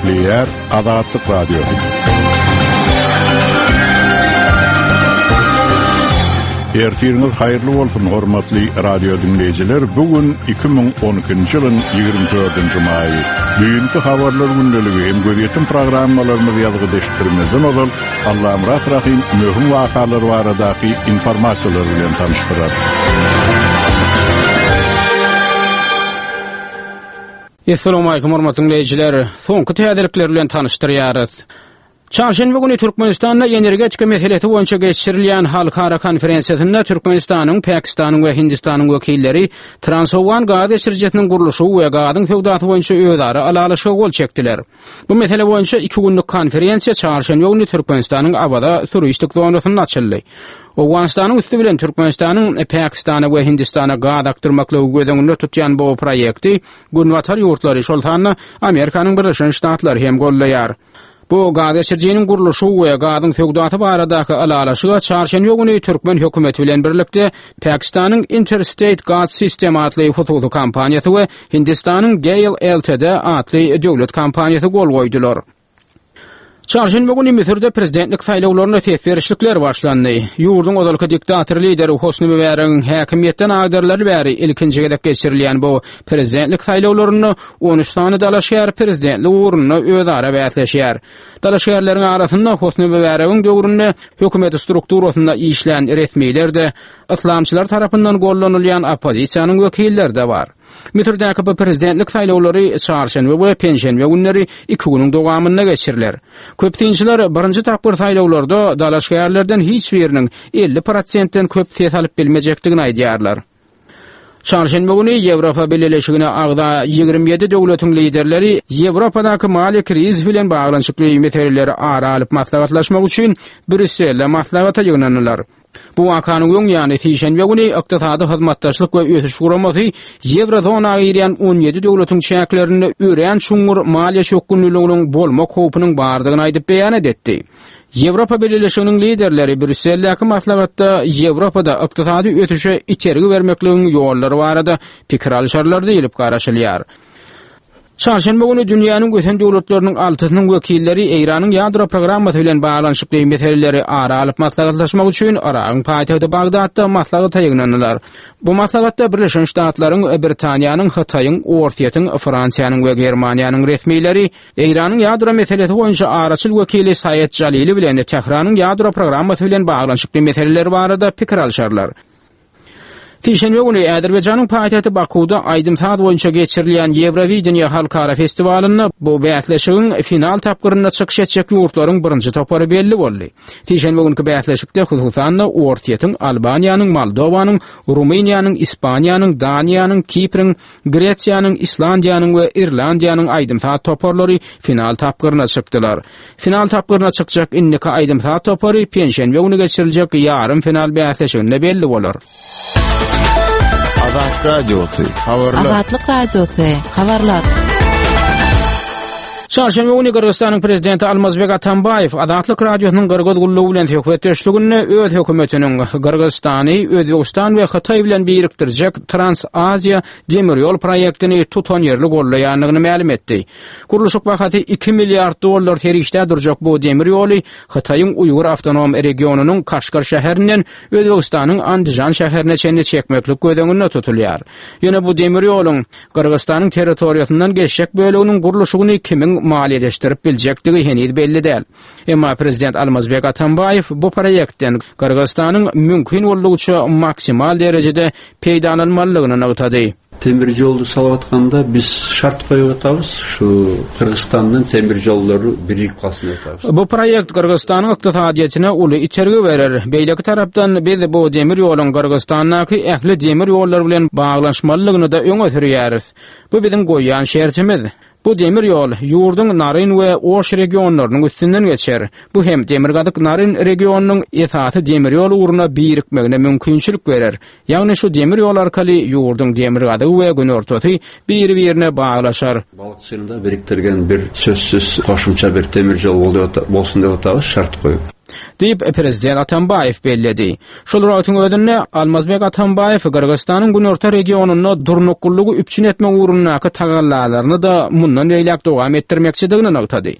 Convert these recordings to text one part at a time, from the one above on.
Gepleýär Azatlyk Radiosy. Ertiriňiz haýyrly bolsun, hormatly radio diňleýjiler! Bu gün 2012-nji ýylyň 24-nji maýy. Düýnki habarlar gündeligi hem gözýetim programmalarymyzy ýazgyda eşitdirmezden ozal, Allamyrat Rahym möhüm wakalar baradaky informasiýalar bilen tanyşdyrar. Essalawmalikim hormatly diňleýjiler! Soňky täzelikler bilen tanyşdyrýarys. Çarşenbe güni Türkmenistanda energetika meselesi boýunça geçirilýän halkara konferensiýasynda Türkmenistanyň, Pakistanyň we Hindistanyň wekilleri Transowgan gaz geçirijisiniň gurluşygy we gazyň söwdasy boýunça özara ylalaşyga gol çekdiler. Bu mesele boýunça iki günlük konferensiýa çarşenbe güni Türkmenistanyň Awaza turistik zonasynda açyldy. Owganystanyň üsti bilen Türkmenistanyň Pakistana we Hindistana gaz akdyrmaklygy göz öňünde tutýan bu proýekti Günbatar ýurtlary, şol sanda Amerikanyň Birleşen Ştatlary hem goldaýar. Bu gaz geçirijiniň gurluşygy we gazyň söwdasy baradaky ylalaşyga çarşenbe güni türkmen hökümeti bilen birlikde Pakistanyň Interstate Gas System atly hususy kompaniýasy we Hindistanyň GAIL Ltd atly döwlet kompaniýasy gol goýdular. Çarşenbe güni Müsürde prezidentlik saýlawlaryna ses berişlikler başlandy. Ýurduň ozalky diktator lideri Hosni Mübäregiň häkimiýetden agdarylaly bäri ilkinji gezek geçirilýän bu prezidentlik saýlawlarynda 13 sany dalaşgär prezidentlik ugrunda özara bäsleşýär. Dalaşgärleriň arasynda Hosni Mübäregiň döwründe hökümet strukturasynda işlän resmiler-de, yslamçylar tarapyndan gollanylýan oppozisiýanyň wekilleri-de bar. Müsürdäki bu prezidentlik saýlawlary çarşenbe we penşenbe günleri iki günüň dowamynda geçiriler. Köp synçylar birinji tapgyr saýlawlarda dalaşgärlerden hiç biriniň 50 prosentden köp ses alyp bilmejekdigini aýdýarlar. Çarşenbe güni Ýewropa Bileleşigine agza 27 döwletiň liderleri Ýewropadaky maliýe krizisi bilen baglanyşykly meseleleri ara alyp maslahatlaşmak üçin Brýusselde maslahata ýygnandylar. Bu wakanyň öň ýany sişenbe güni Ykdysady Hyzmatdaşlyk we Ösüş Guramasy ýewrozona girýän 17 döwletiň çäklerinde örän çuňňur maliýe çökgünliliginiň bolmak howpunyň bardygyny aýdyp beýanat etdi. Ýewropa Bileleşiginiň liderleri Brýusseldäki maslahatda Ýewropada ykdysady ösüşe itergi bermekligiň ýollary barada pikir alyşarlar diýlip garaşylýar. Çarşenbe güni dünýäniň ösen döwletleriniň altysynyň wekilleri Eýranyň ýadro programmasy bilen baglanyşykly meseleleri ara alyp maslahatlaşmak üçin Yragyň paýtagty Bagdatda maslahata ýygnandylar. Bu maslahatda Birleşen Ştatlaryň, Britaniýanyň, Hytaýyň, Orsýetiň, Fransiýanyň we Germaniýanyň resmileri Eýranyň ýadro meselesi boýunça araçyl wekili Saed Jalili bilen Tähranyň ýadro programmasy bilen baglanyşykly meseleler barada pikir alşarlar. Sişenbe güni Azerbaýjanyň paýtagty Bakuwda aýdym-saz boýunça geçirilýän Ýewrowideniýe halkara festiwalynda bu bäsleşigiň final tapgyrynda çykyş etjek ýurtlaryň birinji topary belli boldy. Sişenbe günki bäsleşikde hususan-da Orsýetiň, Albaniýanyň, Moldowanyň, Rumyniýanyň, Ispaniýanyň, Daniýanyň, Kipriň, Gresiýanyň, Islandiýanyň we Irlandiýanyň aýdym-saz toparlary final tapgyryna çykdylar. Final tapgyryna çykjak indiki aýdym-saz topary penşenbe güni geçiriljek ýarym final bäsleşiginde belli bolar. Azat Radiosy, habarlar. Azatlyk Radiosy, habarlar. Çarşenbe güni Gyrgyzystanyň prezidenti Almazbek Atambaýew Azatlyk Radiosynyň Gyrgyz gullugy bilen söhbetdeşliginde öz hökümetiniň Gyrgyzystany Özbegistan we Hytaý bilen birikdirjek Trans-Aziýa demir ýol proýektini tutanýerli goldaýandygyny mälim etdi. Gurluşyk bahasy iki milliard dollar serişdä durjak bu demir ýoly Hytaýyň Uýgur awtonom regionynyň Kaşgar şäherinden Özbegistanyň Andižan şäherine çenli çekmeklik göz öňünde tutulýar. Ýöne bu demir ýoluň Gyrgyzystanyň territoriýasyndan geçjek böleginiň gurluşygyny kimiň maliýeleşdirip biljekdigi heniz belli däl. Emma prezident Almazbek Atambaýew bu proýektden Gyrgyzystanyň mümkin boldugyça maksimal derejede peýdalanmalydygyny nygtady. Temir ýoldy salyp atkanda biz şart goýup atabys, şu Gyrgyzystandan temir ýollary birigip galsyn diýip atabys. Bu proýekt Gyrgyzystanyň ykdysadyýetine uly itergi berer. Beýleki tarapdan biz bu demir ýoluň Gyrgyzystandaky ähli demir ýollar bilen baglanyşmalydygyny-da öňe sürýäris. Bu biziň goýýan şertimiz. Bu demir ýol ýurduň Naryn we Oş regionlarynyň üstünden geçer. Bu hem Demirgazyk Naryn regionynyň esasy demir ýol ugruna birikmegine mümkinçilik berer. Ýagny şu demir ýol arkaly ýurduň demirgazygy we günortasy biri-birine baglaşar. Balykçyny-da birikdirgen bir sözsüz goşumça bir demir ýol bolsun diýip otabys şart goýup. Diýip, prezident Atambaýew belledi. Şol bir wagtyň özünde, Almazbek Atambaýew Gyrgyzystanyň günorta regionynda durnuklylygy üpjün etmek ugrundaky tagallalaryny-da mundan beýläk dowam etdirmekçidigini nygtady.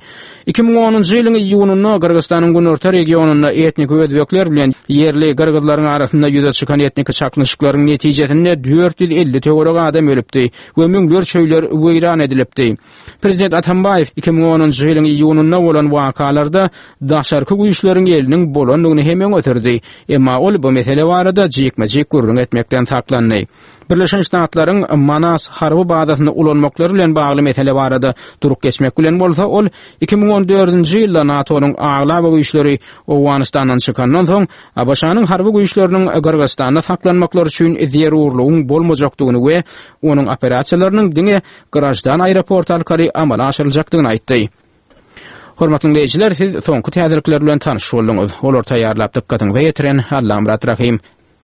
2010-njy ýylyň iýunynda Gyrgyzystanyň günorta regionynda etniki özbekler bilen ýerli gyrgyzlaryň arasynda ýüze çykan etniki çaknyşyklaryň netijesinde 450 töweregi adam ölüpdi we müňlerçe öýler weýran edilipdi. Prezident Atambaýew 2010-njy ýylyň iýunynda bolan wakalarda daşarky güýçleriň eliniň bolandygyny hem öňe sürdi. Emma ol bu mesele barada jikme-jik gürrüň etmekden saklandy. Birleşen Ştatlaryň Manas harby bazasyny ulanmaklary bilen bagly mesele barada durup geçmek bilen bolsa, ol 2014-nji ýylda NATO-nyň aglaba güýçleri Owganystandan çykandan soň, ABŞ-nyň harby güýçleriniň Gyrgyzystanda saklanmaklary üçin zerurlygyň bolmajakdygyny we onuň operasiýalarynyň diňe graždan aeroporty arkaly amala aşyryljakdygyny aýtdy. Hormatly diňleýjiler, siz soňky täzelikler bilen tanyş bolduňyz. Olary taýýarlap dykgatyňyza ýetiren Allamyrat Rahym.